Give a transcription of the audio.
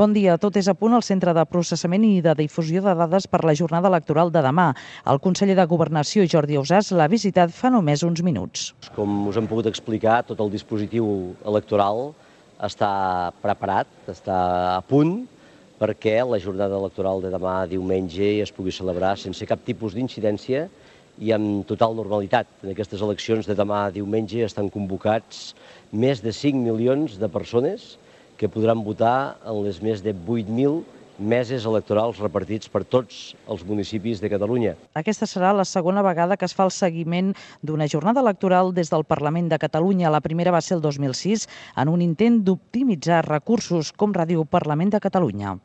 Bon dia. Tot és a punt al Centre de Processament i de Difusió de Dades per la jornada electoral de demà. El conseller de Governació, Jordi Ausàs, l'ha visitat fa només uns minuts. Com us hem pogut explicar, tot el dispositiu electoral està preparat, està a punt perquè la jornada electoral de demà diumenge es pugui celebrar sense cap tipus d'incidència i amb total normalitat. En aquestes eleccions de demà diumenge estan convocats més de 5 milions de persones que podran votar en les més de 8.000 meses electorals repartits per tots els municipis de Catalunya. Aquesta serà la segona vegada que es fa el seguiment d'una jornada electoral des del Parlament de Catalunya. La primera va ser el 2006, en un intent d'optimitzar recursos com Ràdio Parlament de Catalunya.